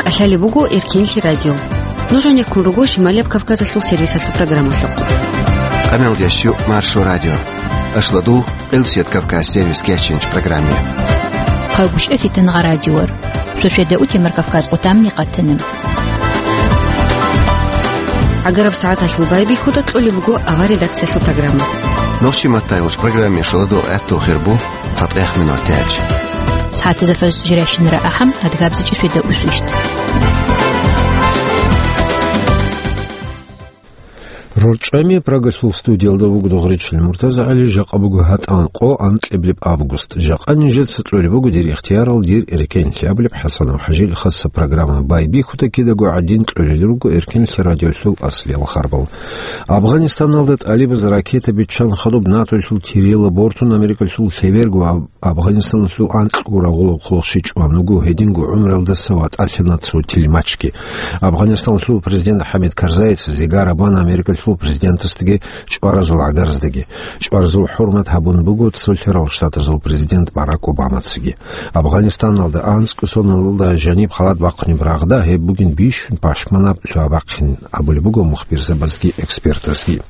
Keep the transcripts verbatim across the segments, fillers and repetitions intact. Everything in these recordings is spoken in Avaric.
КӀалъалеб буго Эркенлъи радио. Нуж гьанеккун руго Шималияб Кавказалъул сервисалъул программалъухъ. Къаналдияс щук Маршо радио. Ашладу Элсият Кавказ сервис кечинч программе. Хъагушев Фитангъа радиор. Суседа утемар Кавказ къутамни къатана. ГӀагараб сагӀаталъул байбихьуда кьолеб буго авар редакциялъул программа. Нохчи маттайгъуч программе шоладо гӀатту хирбу. ЦатӀех минутач. СагӀатазда фажр жирайщинара ахӀам, адгабзичӀи светда усвищт. РорчӀами Прагалъул студиялда вуго Дугъричил МуртазагӀали, жакъа буго гьатӀан къо, анкьиблеб август. Жакъа нижеца кьолеб буго дир ихтиярал, дир эркенлъи абулеб ХӀасанов ХӀажил хаса программа. Байбихьуда кидаго гӀадин кьолел руго Эркенлъи радиолъул аслиял харбал. Афганистаналда тӀалибаз ракета биччан хадуб НАТОлъул тирила бортун Америкалъул лъеберго Афганистаналъул анкьго рагъулаб хъулухъ щичӀ ван вуго, гьединго гӀумралдаса ватӀалъана цо тилмачги. Афганистаналъул президент ХӀамид Карзайица зигара бана Америкалъул президентасдаги чӀваразул гӀагараздаги. ЧӀваразул хӀурмат гьабун буго Цолъарал Штатазул президент Барак Обамацаги. Афганистаналда анцӀго соналда жаниб халат бахъунеб рагъда гьеб бугин бищун пашманаб лъугьа-бахъин абулеб буго мухбирзабазги экспертазги.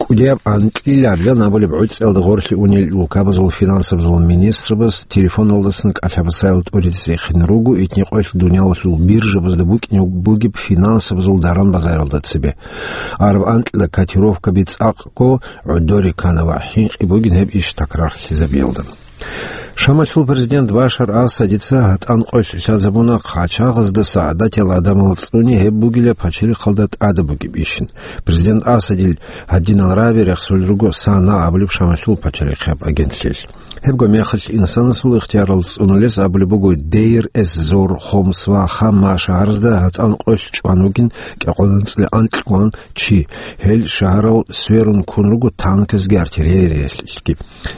КӀудияб анкьилаб жан абулеб гӀуцӀиялда гъорлъе унел улкабазул финансабазул министрабаз телефоналдасан кӀалъабасаял тӀуридасехин руго итни къоялъ дуниялалъул биржабазда букӀине бугеб финансабазул даран-базаралда цебе. Араб анкьила котировкаби цӀакъго гӀодоре ккана ва хӀинкъи бугин гьеб иш такрарлъизабиялда. Шамалъул президент Башар Асадица гьатӀан къоялъ лъазабуна хъачагъаздаса гӀадатиял гӀадамал цӀуни гьеб бугила пачарихъалда тӀада бугеб ишин. Президент Асадил гьадинал раби рехсулел руго САНА абулеб Шамалъул пачарихъияб агентлъиялъ. Гьебго мехалъ инсанасул ихтиярал цӀунулес абулеб буго Дейр-эз-Зор, Хомс ва Хама шагьаразда гьатӀан къоялъ чӀван вугин кӀикъоялда анцӀила анкьгоян чи. Гьел шагьарал сверун ккун руго танказги артиллериялъги.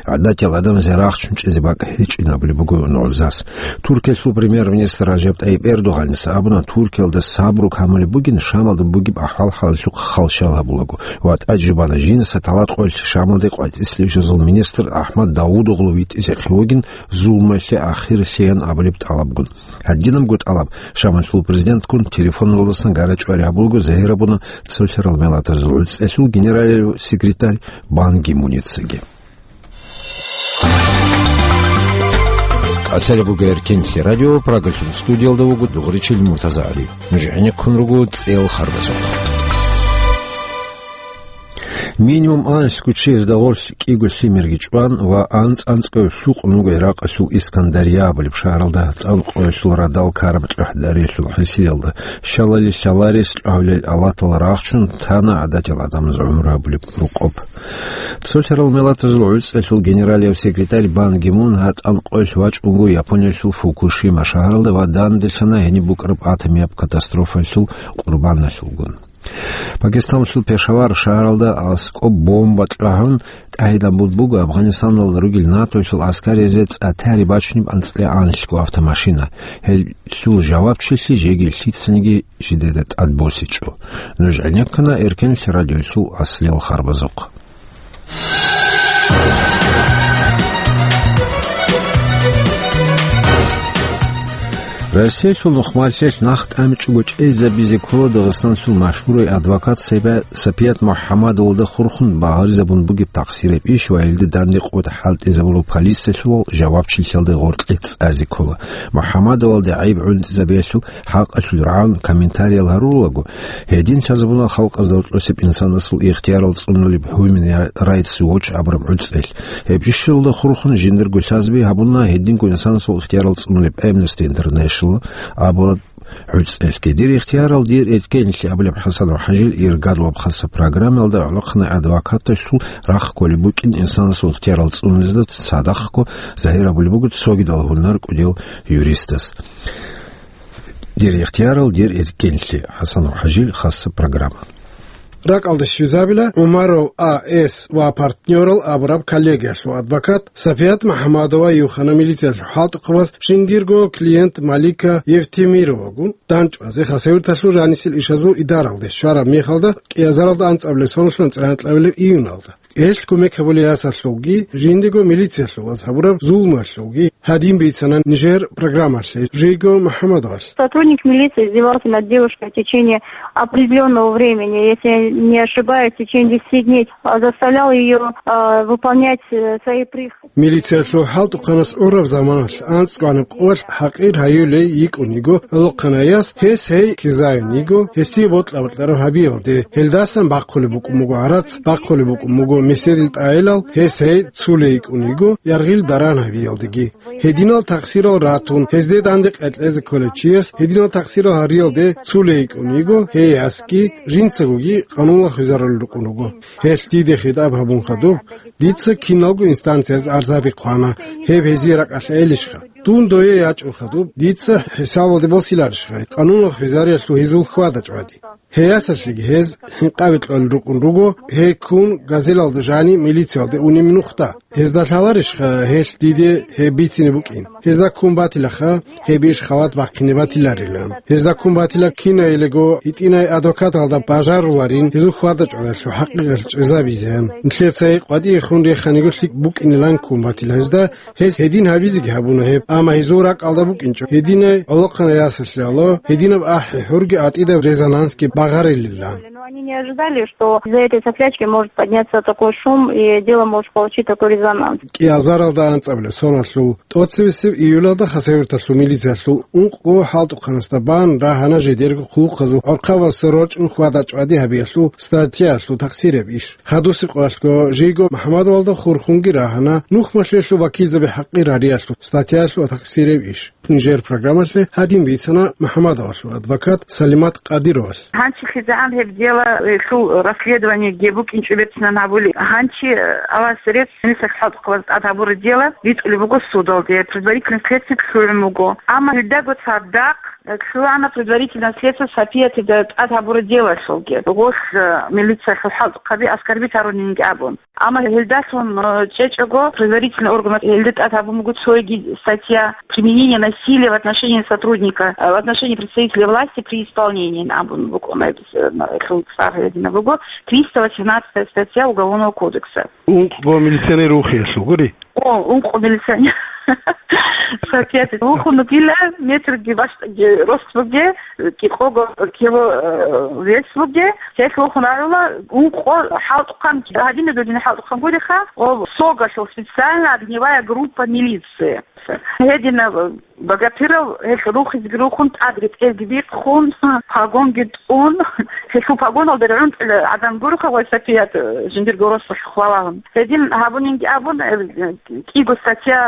ГӀадатиял гӀадамазе рахчун чӀезе бакӀ гьечӀин абулеб буго нугӀзас. Туркиялъул премьер-министр Ражаб ТӀайиб Эрдогъаница абуна, Туркиялда сабру камулеб бугин, Шамалда бугеб ахӀвал-хӀалалъухъ хал щал гьабулаго. Ва тӀаде жубана, жинаса талат къоялъ Шамалде къватӀислъи ишазул министр АхӀмад Давудоглу витӀизехъе вугин, зулмалъе ахирлъеян абулеб тӀалабгун. Гьадинабго тӀалаб Шамалъул президентккун телефоналдасан гара-чӀвари гьабулаго загьир гьабуна Цолъарал Миллатазул ГӀуцӀиялъул генералияв секретарь Бан Ги Муницаги. КӀалъалеб буго Эркенлъи радио, Прагалъул студиялда вуго Дугъричил МуртазагӀали. Нуж гӀенеккун руго цӀел харбазухъ. Минимум анлъго чиясда гъорлъ кӀиго лъимерги чӀван ва анцӀ-анцӀго лъукъун вуго Иракъалъул Искандария абулеб шагьаралда гьатӀан къоялъул радал ккараб чӀухӀдаралъул хӀисиялда. Щалали лъаларес чӀвалел алатал рахчун тана гӀадатиял гӀадамаз гӀумру гьабулеб рукъоб. Цолъарал Миллатазул ГӀуцӀиялъул генералияв секретарь Бан Ги Мун гьатӀан къоялъ вачӀунго Япониялъул Фукушима шагьаралда ва данделъана гьениб букӀараб атомияб катастрофаялъул къурбаналъулгун. Пакистаналъул Пешавар шагьаралда аскӀоб бомба кьвагьун тӀагӀинабун буго Афганистаналда ругел НАТОялъул аскаризе цӀа тари бачунеб анцӀила анлъго автомашина. Гьелъул жавабчилъи жеги лъицаниги жидеда тӀадбосичӀо. Нуж гӀенеккана Эркенлъи радиоялъул аслиял харбазухъ. Россиялъул нухмалъелъ нах тӀамичӀого чӀезабизе ккола Дагъистанлъул машгьурай адвокат Сапият МухӀаммадовалда хурхун багъаризабун бугеб тахсираб иш ва гьелда данде къотӀ хӀалтӀизабурал полициялъул жавабчилъиялда гъоркье цӀазе ккола. МухӀаммадовалде гӀайиб гӀунтӀизабиялъул хӀакъалъулъ рагӀун комментариял гьарулаго, гьедин лъазабуна халкъазда рокьосеб инсанасул ихтиярал цӀунулеб Human Rights Watch абураб гӀуцӀел. Гьеб ишалда хурхун жиндирго лъазаби гьабуна гьединго инсанасул ихтиярал цӀунулеб Amnesty International абураб гӀуцӀелъги. Дир ихтиярал, дир эркенлъи абулеб ХӀасан ва ХӀажил иргадулаб хаса программаялда гӀолохъанай адвокаталъул рахъ кколеб букӀин инсанасул ихтиярал цӀунулезда цадахъго загьир абулеб буго цогидал гьунар кӀудиял юристас. Дир ихтиярал, дир эркенлъи. ХӀасан ва ХӀажил, хаса программа. Ракьалда щвезабила ГӀумаров А С ва партнёрал абураб коллегиялъул адвокат Сапият МухӀаммадова юхана милициялъул хӀалтӀухъабаз жиндирго клиент Малика Евтемировагун данчӀвазе Хасавюрталъул жанисел ишазул идаралде щвараб мехалда, кӀиазаралда анцӀабилеб соналъ анцӀила анкьабилеб июналда. Гьелъ кумек гьабулей ясалъулги, жиндего милициялъулаз гьабураб зулмуялъулги гьадин бицана нижер программалъе Жиго МухӀаммадовалъ. Сотрудник милиции издевался над девушкой в течение определённого времени, если я не ошибаюсь, в течение десяти дней, а, заставлял её, а, выполнять, э, свои прихоти. Милициялъул хӀалтӀухъанас гӀураб заманалъ анцӀгоанаб къоялъ хӀакъир гьаюлей йикӀун йиго гӀолохъанай яс, гьес гьей ккезаин йиго, гьесие бокьа-бокьараб гьабиялде. Гьелдасан бахъулеб букӀун буго гӀарац, бахъулеб букӀун буго меседил тӀагӀелал, гьес гьей цулей йикӀун йиго яргъил даран гьабиялдеги. Гьединал такъсирал ратун, гьезде данде къеркьезе кколев чияс гьединал такъсирал гьариялде цулей йикӀун йиго, гьей ясги жинцагоги къануналъ хвезарулел рукӀун руго. Гьелъ диде хитӀаб гьабун хадуб, дица киналго инстанциязда арзаби хъвана, гьеб гьезие ракӀалъ гӀелищха? Дун дое ячӀун хадуб, дица хӀисабалде босиларищха къануналъ хвезариялъул гьезул хьвада-чӀвади? Гьей ясалъеги гьез хӀинкъаби кьолел рукӀун руго, гьей ккун газелалда жаниб милициялде унеб нухда. Гьезда лъаларищха гьелъ диде гьеб бицине букӀин? Гьезда ккун батилаха, гьеб иш халат бахъине батиларилан. Гьезда ккун батила кинайилего гьитӀинай адвокаталда бажаруларин гьезул хьвада-чӀвадалъул хӀакъикъат чӀезабизеян. Нилъеца гьей къватӀиехун реханиго лъикӀ букӀинилан ккун батила гьезда, гьез гьедин гьабизеги гьабуна гьеб, амма гьезул ракӀалда букӀинчӀо гьединай гӀолохъанай ясалъе гьединаб ахӀи-хӀурги гӀатӀидаб резонансги багъарилилан. Но они не ожидали, что из-за этой соплячки может подняться такой шум, и дело может получить такой резонанс. КӀиазаралда анцӀабилеб соналъул тӀоцебесеб июлалда Хасавюрталъул милициялъул ункъго хӀалтӀухъанасда бан рагьана жидерго хъулухъазул гӀорхъабаздаса рорчӀун хьвада-чӀвади гьабиялъул статьяялъул такъсираб иш. Хадусеб къоялъго Жиго МухӀаммадовалда хурхунги рагьана нухмалъиялъул вакилзаби хӀакъир гьариялъул статьяялъул такъсираб иш. Нижер программалъе гьадин бицана МухӀаммадовалъул адвокат Салимат Къадировалъ. Гьанчи хизегӀан гьеб дело, э, лъул расследование гьеб букӀинчӀо берцинан гьабули. Гьанчи, э, Аллагьасе рецц, милицияс хӀалтӀухъабаз тӀад гьабураб дело битӀулеб буго судалде, предварительное следствие лъугӀун буго. Амма гьелдаго цадахъ, э, лъугӀана предварительное следствие Сапиятида тӀад гьабураб делолъулги. Гъолъ, э, милициялъул хӀалтӀухъаби аскарбит гьарунинги абун. Амма гьелдалъун, э, чӀечӀого, предварительный орган гьелда тӀад гьабун буго цоги статья применение насилия в отношении сотрудника, э, в отношении представителя власти при исполнении абун букӀуна, э, лъул цӀар гьедина буго, триста восемнадцатая статья Уголовного кодекса. Ункъго милиционер вухиялъул гури? О, ункъго милиционер. Сапиятида вухун вугила, метрги бащдабги рост буге, кӀикъого кило, э, вес буге, гьелъ вухун рагӀула, ункъо хӀалтӀухъан, гьадинаб гьадин хӀалтӀухъан гуриха, о, согалъул специальная огневая группа милиции. Гьединаб багатирал гьелъ рухизги рухун, тӀад ретӀелги бихъун, погонги тӀун, гьелъул погоналда регӀунтӀила гӀадан гуриха, вай Сапият, э, жиндирго росулъ хвалагьун. Гьедин гьабунинги абун, э, кӀиго статья,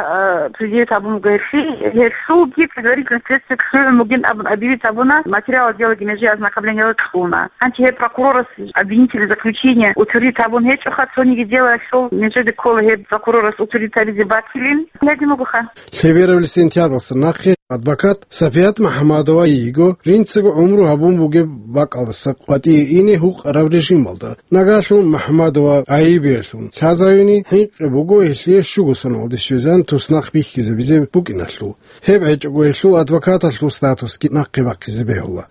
э, предъявить гьабун буго гьелъие, гьелъулги предварительное следствие лъугӀун бугин абун объявить гьабуна, материал дела меже ознакомления кьуна. Гьанчи гьеб прокурорас обвинительное заключение утвердить гьабун гьечӀоха, цониги делалъул межеде ккола гьеб прокурорас утвердить гьабизе батилин. Гьедин бугоха. Лъеберабли сентябралдаса нахъе адвокат Сапият МухӀаммадова йиго жинцаго гӀумру гьабун бугеб бакӀалдаса къватӀие ине гьукъараб режималда. Нагагьлъун МухӀаммадова гӀайибеялъун лъазавине хӀинкъи буго гьелъие щуго соналде щвезан туснахъ бихьизабизе букӀиналъул. Гьеб гьечӀого гьелъул адвокаталъул статусги нахъе бахъизе бегьула.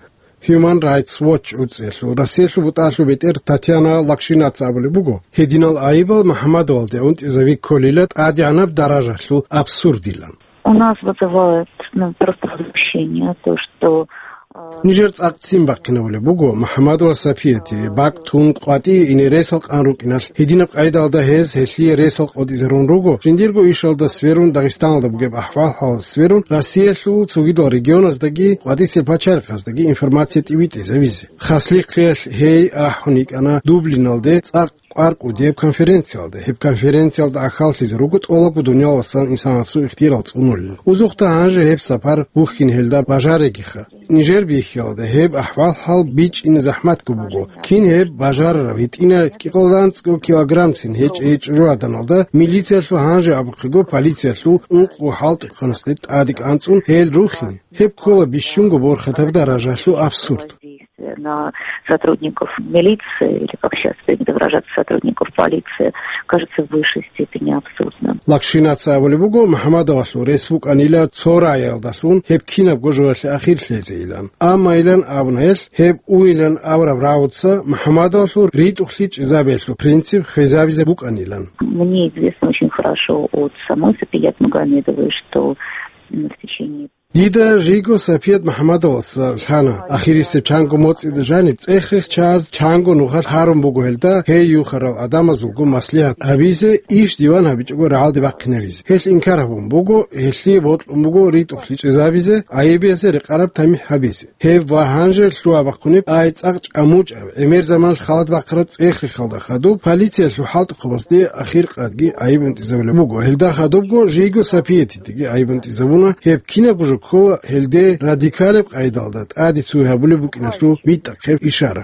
Human Rights Watch гӀуцӀиялъул Россиялъул бутӀалъул бетӀер Татьяна Лакшинаца абулеб буго, гьединал гӀайибал МухӀаммадовалде унтӀизаби кколила тӀадегӀанаб даражалъул абсурдилан. У нас вызывает, ну, просто возмущение то, что, э, Нижер цӀакъ ццин бахъинабулеб буго МухӀаммадова Сапияти бакӀ тун къватӀие ине ресал къан рукӀиналъ гьединаб къайдалда гьез гьелъие ресал къотӀизарун руго, жиндирго ишалда сверун, Дагъистаналда бугеб ахӀвал-хӀалалда сверун, Россиялъул цогидал регионаздаги къватӀисел пачалихъаздаги информация тӀибитӀизавизе. Хаслихъиялъ гьей ахӀун йикӀана Дублиналде цӀакъ кӀвар кӀудияб конференциялда. Гьеб конференциялда ахьаллъизе руго тӀолабго дуниялалдасан инсанасул ихтияр цӀунулел. Узухъда гьанже гьеб сапар бухьине гьелда бажаригиха. Нижер бихьиялда гьеб ахӀвал-хӀал бичӀчӀине захӀматго буго. Кин гьеб бажарарав? ГьитӀинай кӀикъоялда анцӀго килограммцин гьечӀей чӀужугӀаданалда милициялъул, гьанже абухъего полициялъул, ункъго хӀалтӀухъанасде тӀадегӀанцӀун гьел рухине. Гьеб ккола бищунго борхатаб даражалъул абсурд. На сотрудников милиции, или, как сейчас принято выражаться, сотрудников полиции, кажется в высшей степени абсурдным. Лакшинаца абулеб буго, МухӀаммадовалъул рес букӀанила цо рагӀиялдалъун гьеб кинабго жоялъе ахир лъезейилан. Амма илан абуна гьелъ, гьеб уйилан абураб рагӀуца МухӀаммадовалъул ритӀухълъи чӀезабиялъул принцип хвезабизе букӀанилан. Мне известно очень хорошо от самой Сапият Магомедовой, что, м, в течение Дида жийго Сапият МухӀаммадовалъа лъана, ахирисеб чанго моцӀида жаниб цӀех-рех чаз чанго нухалъ гьарун буго гьелда гьей юхарал гӀадамазулго маслигьат гьабизе, иш диван гьабичӀого рагӀалде бахъинавизе. Гьелъ инкар гьабун буго, гьелъие бокьун буго ритӀухълъи чӀезабизе, гӀайибиясе рекъараб тамихӀ гьабизе. Гьеб ва гьанже лъугьа-бахъунеб ай цӀакъ чӀамучӀаб, гӀемер заман халат бахъараб цӀех-рехалда хадуб, полициялъул хӀалтӀухъабазде ахир къадги гӀайиб унтӀизабулеб буго. Гьелда хадубго жийго Сапиятидеги гӀайиб унтӀизабуна, гьеб кинабго жо ккола гьелде радикалеб къайдалда тӀаде цуй гьабулеб букӀиналъул битӀахъеб ишара.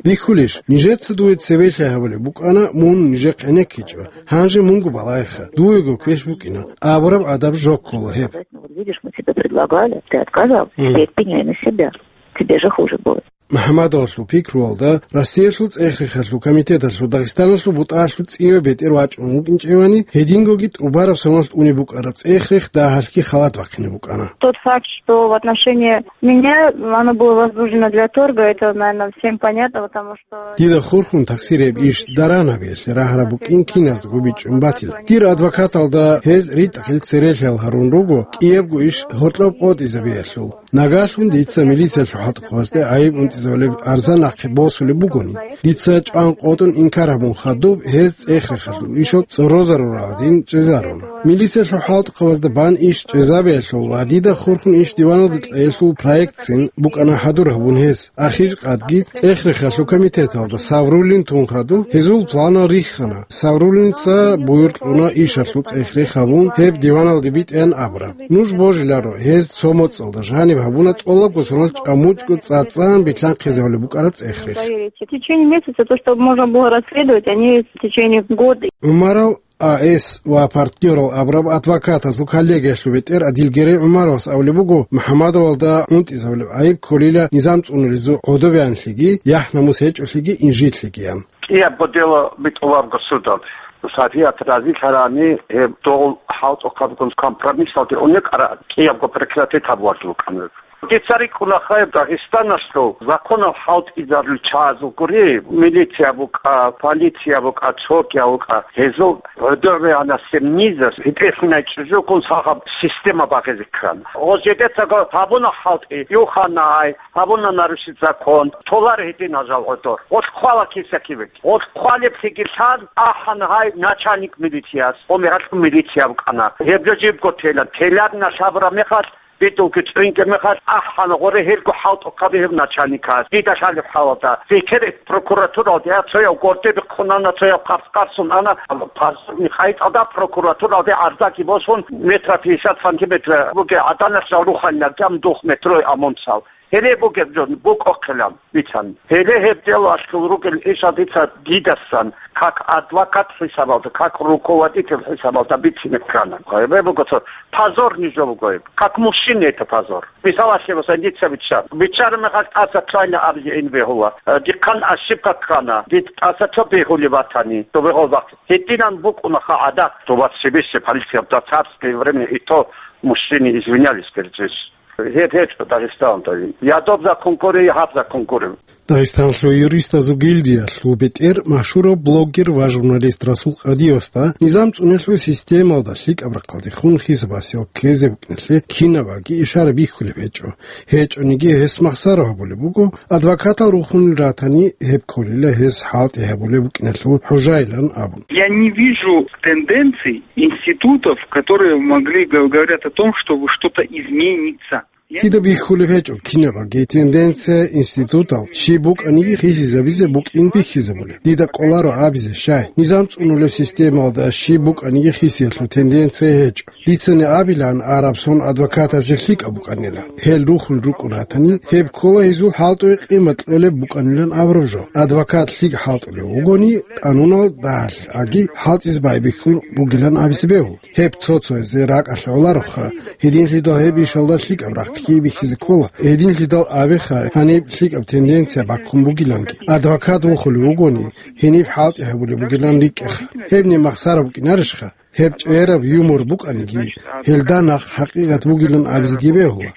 Бихьулищ, нижеца дуе цеве лъай гьабулеб букӀана, мун нижехъ гӀенеккичӀо, гьанже мунго балагьеха, дуего квеш букӀина, абураб гӀадаб жо ккола гьеб. Вот видишь, мы тебе предлагали, ты отказал, Мгм. Теперь пеняй на себя. Тебе же хуже будет. МухӀаммадовалъул пикруялда, Россиялъул цӀех-рехалъул комитеталъул Дагъистаналъул бутӀаялъул цӀиве бетӀер вачӀун вукӀинчӀевани, гьедингоги тӀубараб соналъ унеб букӀараб цӀех-рех дагьалъги халат бахъине букӀана. Тот факт, что в отношении меня оно было возбуждено для торга, это, наверное, всем понятно, потому что Дида хурхун такъсир гьеб иш даран гьабиялъе рагьараб букӀин киназдаго бичӀчӀун батила. Дир адвокаталда гьез ритӀухълъи церелъал гьарун руго, кӀиябго иш гьоркьоб къотӀизабиялъул. Нагагьлъун дица милициялъул хӀалтӀухъабазде гӀайиб унтӀизабулеб арзан нахъе босулеб бугони, дица чӀван къотӀун инкар гьабун хадуб гьез цӀех-рехалъул ишал цӀорозарурал гӀадин чӀезаруна. Милициялъул хӀалтӀухъабазда бан иш чӀезабиялъул ва дида хурхун иш диваналде кьеялъул проектцин букӀана хӀадур гьабун гьез. Ахир къадги цӀех-рехалъул комитеталда Савруллин тун хадуб гьезул планал риххана. Савруллинца буюркьуна ишалъул цӀех-рех гьабун гьеб диваналде битӀеян абураб. Нуж божиларо, гьез цо моцӀалда жаниб гьабуна тӀолабго соналъ чӀамучӀго цӀацӀан билълъанхъизабулеб букӀараб цӀех-рех. В течение месяца то, что можно было расследовать, они в течение года. ГӀумаров А С ва партнёрал абураб адвокатазул коллегиялъул бетӀер Адилгерей ГӀумаровас абулеб буго, МухӀаммадовалда унтӀизабулеб гӀайиб кколила низам цӀунулезул гӀодобеянлъиги, яхӀ-намус гьечӀолъиги, инжитлъигиян. КӀиябго дело битӀуларго судалде. Сапият разилъарани, гьеб дол хӀалтӀухъабгун компромиссалде унекъара кӀиябго прекратить гьабуларги букӀана. Дица рикӀкӀуна хай Дагъистаналъул законал хӀалтӀизарулел чагӀазул гури, милиция букӀа, полиция букӀа, цогиял букӀа, гьезул гӀодобеянасеб низер гьитӀелъинай чӀужугун сахаб система багъизе ккана. Гъоз жидецаго гьабуна хӀалтӀи, юханай, гьабуна нарушить закон, толар гьедин гьажал гӀодор. Гъолъ хъвала киса-кибе. Гъолъ хъвалеблъиги лъан, ахӀана гьай начальник милицияс, гъо мегьалъ милиция букӀана. Гьеб жо жибго телан. Теларна лъабураб мехалъ, битӀулги цӀуйинги мехалъ, ахӀана гъоре гьелго хӀалтӀухъаби гьев начальникас. Дида лъалеб хӀалалда. Цинги прокуратуралде, а, цояв горде бихъун ана, цояв къарс-къарсун ана, пазарни къайтӀалда прокуратуралде гӀарзаги босун, метра пятьдесят сантиметр бугеб гӀаданалъ жал руханила, гьам дух метрой амунцал. Гьеле бугеб жо букӀохъилан бицан. Гьеле гьеб дело аскӀул ругел ишал дица дидасан, как адвокат хӀисабалда, как руководитель хӀисабалда бицине ккана. Гьеб буго цо позорный жо буго гьеб. Как мужчине это позор. Мисалалъе, масан, дица биччан. Биччараб мехалъ тӀаса цойна абизе ин бегьула. Э, дихъан ошибка ккана. Дид тӀаса цо бегьулеб батани, цо бегьул бахъ. Гьединан букӀунаха гӀадат. Ту вас себе полиция в царское время и то мужчины извинялись перед женщиной. Гьеб гьечӀо Дагъистаналда. Я доб закон гури, я гьаб закон гури. Дагъистаналъул юристазул гильдиялъул бетӀер машгьурав блогер ва журналист Расул Къадиевасда низам цӀунулъул системалда лъикӀаб рахъалдехун хӀисаб-гьасиял ккезе букӀиналъе кинабаги ишара бихьулеб гьечӀо. ГьечӀониги гьес махсаро гьабулеб буго, адвокатал рухунел ратани, гьеб кколила гьес хӀалтӀи гьабулеб букӀиналъул хӀужайилан абун. Я не вижу тенденций, институтов, которые могли г-, говорят о том, чтобы что-то изменится. Я Дида бихьулеб гьечӀо кинабаги тенденция, институтал щиб букӀаниги хисизабизе букӀин бихьизабулеб. Дида кӀоларо абизе щай, низам цӀунулеб системалда щиб букӀаниги хисиялъул тенденция гьечӀо. Дицани абилан араб сон адвокатазе лъикӀаб букӀанила. Гьел рухун рукӀун ратани, гьеб ккола гьезул хӀалтӀуе къимат кьолеб букӀанилан абураб жо. Адвокат лъикӀ хӀалтӀулев вугони, къанунал дагьалъ аги хӀалтӀизе байбихьун бугилан абизе бегьул. Гьеб цо-цоязе ракӀалъ гӀолароха, гьединлъидал гьеб ишалда лъикӀаб рахъ лъикӀ бихьизе ккола, гьединлъидал абеха гьаниб лъикӀаб тенденция баккун бугиланги. Адвокат вухулев вугони, гьениб хӀалтӀи гьабулеб бугилан рикӀкӀаха. Гьебни махсара букӀинарищха? Гьеб чӀегӀераб юмор букӀаниги, гьелда нахъ хӀакъикъат бугилан абизеги бегьула.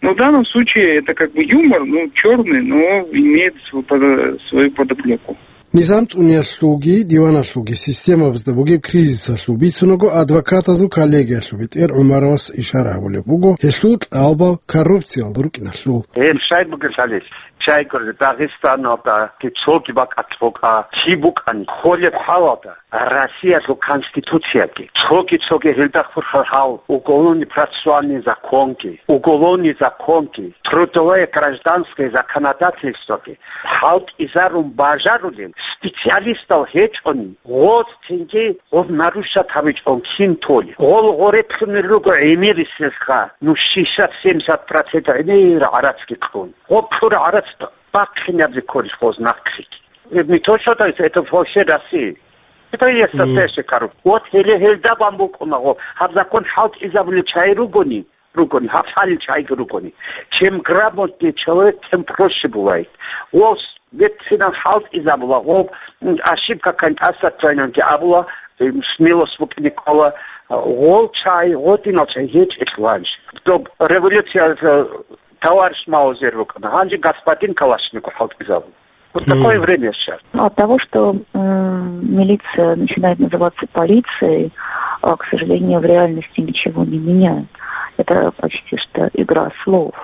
Ну, в данном случае это как бы юмор, ну, черный, но имеет свою под-, свою подоплеку. Низам цӀуниялъулги, диваналъулги системабазда бугеб кризисалъул бицунаго адвокатазул коллегиялъул бетӀер ГӀумаровас ишара гьабулеб буго, гьелъул кьалбал коррупциялда рукӀиналъул. Гьеб щай бугеб лъалел? Чайгур Дагъистаналда цоги бакӀалъ букӀа, чи букӀани, холеб хӀалалда Россиялъул Конституцияги, цоги-цоги гьелда хурхарал уголовный процессуальный законги, уголовный законги, трудовое гражданское законодательствоги хӀалтӀизарун бажарулел специалистал гьечӀони, гъоз цинги гъоб нарушать гьабичӀон кин толи. Гъол гъореблъунел руго гӀемерисезха, ну, шестьдесят-семьдесят процент гӀемер гӀарацги кьун. Гъоб кьур гӀарац бахъинаб рекорд гъоз нахълъи. Не то, что это, это вообще Россия. Это есть настоящая коррупция. Вот гьеле гьелда бан букӀуна гъо. Гьаб закон хӀалтӀизабулел чагӀи ругони, ругони, гьаб лъалел чагӀиги ругони. Чем грамотнее человек, тем проще бывает. Гъос бецинан хӀалтӀизабула, гъоб, м, ошибка кантӀаса тайнанги абула, м, смелость букӀине ккола, гъол чагӀи, гъодинал чагӀи гьечӀелъул гьанже. Доб революция, э, товарищ Маузер вукӀана, гьанже господин Калашников хӀалтӀизабула. Вот такое время сейчас. От того, что, м, милиция начинает называться полицией, а, к сожалению, в реальности ничего не меняет. Это почти что игра слов.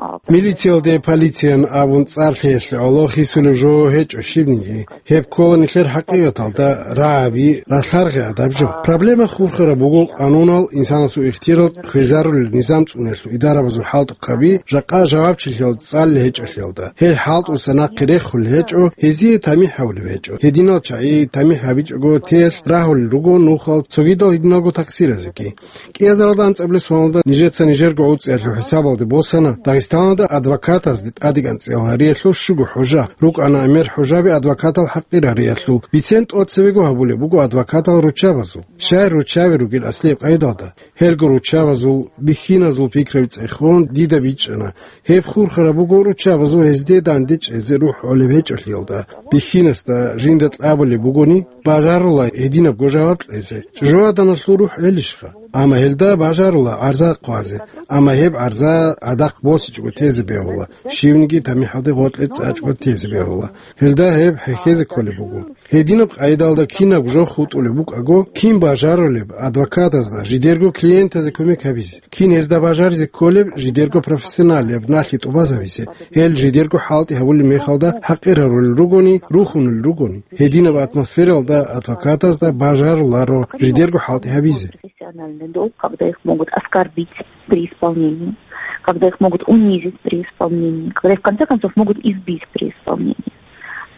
А, Милициялде полициян абун цӀар лъеялъе гӀоло хисулев жо гьечӀо щибниги. Гьеб ккола нилъер хӀакъикъаталда рагӀаби, ралъаргъи адаб жо. Проблема хурхараб буго къанунал, инсанасул ихтияр хвезарулел низам цӀуниялъул идарабазул хӀалтӀухъаби жакъа жавабчилъиялда цӀалел гьечӀолъиялда. Гьел хӀалтӀуса нахъе рехулел гьечӀо, гьезие тамихӀ гьабулеб гьечӀо. Гьединал чагӀи тамихӀ гьабичӀого теялъ рагьулел руго нухал цогидал гьединалго такъсиразеги. КӀиазаралда анцӀабилеб соналда нижеца нижерго гӀуцӀиялъул хӀисабалде босана Дагъистаналда адвокатазде тӀадегӀан цӀелгьариялъул щуго хӀужа, рукӀана гӀемер хӀужаби адвокатал хӀакъир гьариялъул. Бицен тӀоцебего гьабулеб буго адвокатал руччабазул. Щай руччаби ругел аслияб къайдалда? Гьелго руччабазул, бихьиназул пикраби цӀехун дида бичӀчӀана. Гьеб хурхараб буго руччабазул гьезде данде чӀезе рухӀ гӀолеб гьечӀолъиялда. Бихьинасда жинда кьабулеб бугони, бажарула гьединабго жаваб кьезе. ЧӀужугӀаданалъул рухӀ гӀелищха? Амма гьелда бажарула гӀарза хъвазе, амма гьеб гӀарза гӀадахъ босичӀого тезе бегьула, щивниги тамихӀалде гъоркье цӀачӀого тезе бегьула. Гьелда гьеб хӀехьезе кколеб буго. Гьединаб къайдалда кинаб жо хутӀулеб букӀаго, кин бажарулеб адвокатазда жидерго клиентазе кумек гьабизе? Кин гьезда бажаризе кколеб жидерго профессионалияб налъи тӀубазабизе? Гьел жидерго хӀалтӀи гьабулеб мехалда хӀакъир гьарулел ругони, рухунел ругони. Гьединаб атмосфералда адвокатазда бажаруларо жидерго хӀалтӀи гьабизе. Профессиональный долг, когда их могут оскорбить при исполнении, когда их могут унизить при исполнении, когда их, в конце концов, могут избить при исполнении.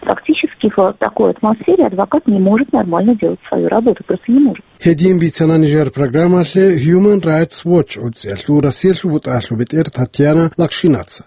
Фактически, в такой атмосфере адвокат не может нормально делать свою работу, просто не может. Гьедин бицана нижер программалъе Human Rights Watch гӀуцӀиялъул Россиялъул бутӀаялъул бетӀер Татьяна Лакшинаца.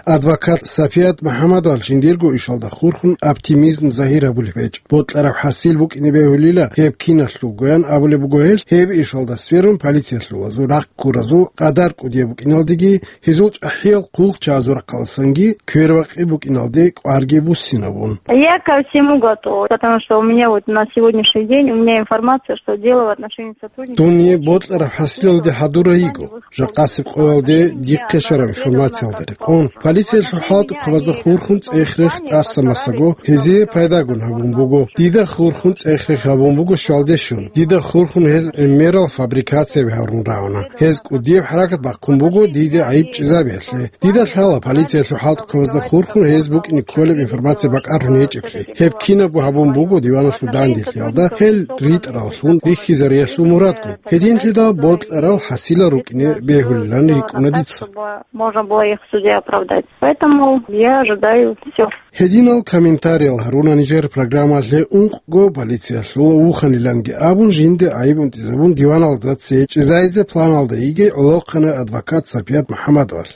Адвокат Сапият МухӀаммадовал жиндирго ишалда хурхун оптимизм загьир гьабулеб гьечӀ. Бокьараб хӀасил букӀине бегьулила гьеб киналъулгоян абулеб буго гьел, гьеб ишалда сверун полициялъулазул рахъ ккуразул къадар кӀудияб букӀиналдеги, гьезул чӀахӀиял хъулухъчагӀазул рахъаласанги квербакъи букӀиналде кӀварги буссинабун. Я ко всему готова, потому что у меня вот на сегодняшний день, у меня информация, что дело в отношении сотрудника. Дун бокьараб хӀасилалде хӀадурай йиго. Жакъасеб къоялде дихъе щвараб информациялда рекъон, полициялъул хӀалтӀухъабазда хурхун цӀех-рех тӀаса-масаго гьезие пайдагун гьабун буго. Дида хурхун цӀех-рех гьабун буго щвалде щун. Дида хурхун гьез гӀемерал фабрикацияби гьарун рагӀуна. Гьез кӀудияб хӀаракат бахъун буго диде гӀайиб чӀезабиялъе. Дида лъала полициялъул хӀалтӀухъабазда хурхун гьез букӀине кколеб информация бакӀарун гьечӀеблъи. Гьеб кинабго гьабун буго диваналъул данделъиялда, гьел ритӀараллъун рихьизариялъул мурадгун. Гьединлъидал бокьарал хӀасилал рукӀине бегьулилан рикӀкӀуна дица. Чтобы можно было их в суде оправдать. Поэтому я ожидаю всё. Гьединал комментариял гьаруна нижер программалъе ункъго полициялъул вуханиланги абун, жинде гӀайиб унтӀизабун диваналда цее чӀезайзе планалда йигей гӀолохъанай адвокат Сапият МухӀаммадовал.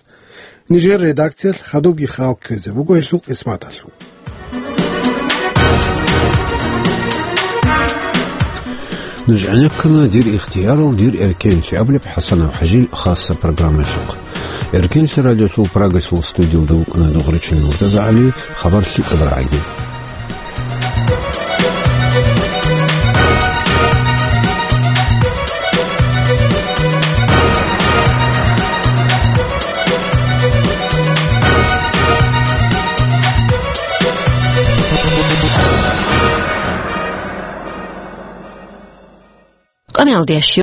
Нижер редакциялъ хадубги хал ккезе буго гьелъул къисматалъул. Нуж гӀенеккана «Дир ихтиярал, дир эркенлъи» абулеб ХӀасанов ХӀажил хасса программаялъухъ. Эркенлъи радиолъул Прагалъул студиялда вукӀана Дугъричил МуртазагӀали, хабар лъикӀаб рагӀаги. Къамиялдиящ